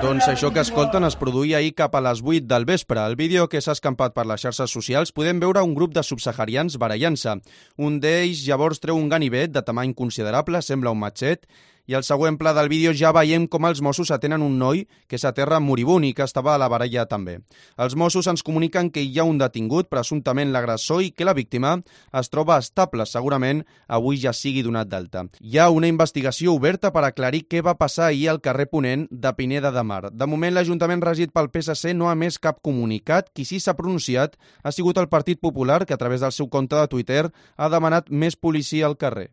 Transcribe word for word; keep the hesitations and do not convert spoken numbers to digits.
Doncs això que escolten es produïa ahir cap a les vuit del vespre. Al vídeo que s'ha escampat per les xarxes socials podem veure un grup de subsaharians barallant-se. Un d'ells llavors treu un ganivet de tamany considerable, sembla un matxet, i al següent pla del vídeo ja veiem com els Mossos atenen un noi que s'aterra moribund i que estava a la baralla també. Els Mossos ens comuniquen que hi ha un detingut, presumptament l'agressor, i que la víctima es troba estable, segurament avui ja sigui donat d'alta. Hi ha una investigació oberta per aclarir què va passar ahir al carrer Ponent de Pineda de Mar. De moment, l'Ajuntament regit pel P S C no ha emès cap comunicat. Qui sí s'ha pronunciat ha sigut el Partit Popular, que a través del seu compte de Twitter ha demanat més policia al carrer.